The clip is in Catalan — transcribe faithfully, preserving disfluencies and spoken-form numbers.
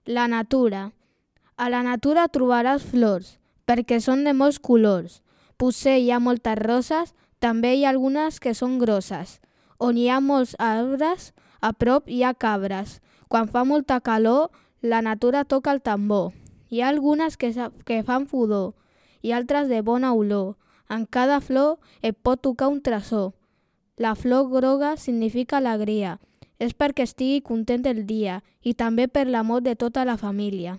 La natura. A la natura trobaràs flors, perquè són de molts colors. Potser hi ha moltes roses, també hi ha algunes que són grosses. On hi ha molts arbres, a prop hi ha cabres. Quan fa molta calor, la natura toca el tambor. Hi ha algunes que, que fan pudor i altres de bona olor. En cada flor et pot tocar un tresor. La flor groga significa alegria. És perquè estigui content el dia i també per l'amor de tota la família.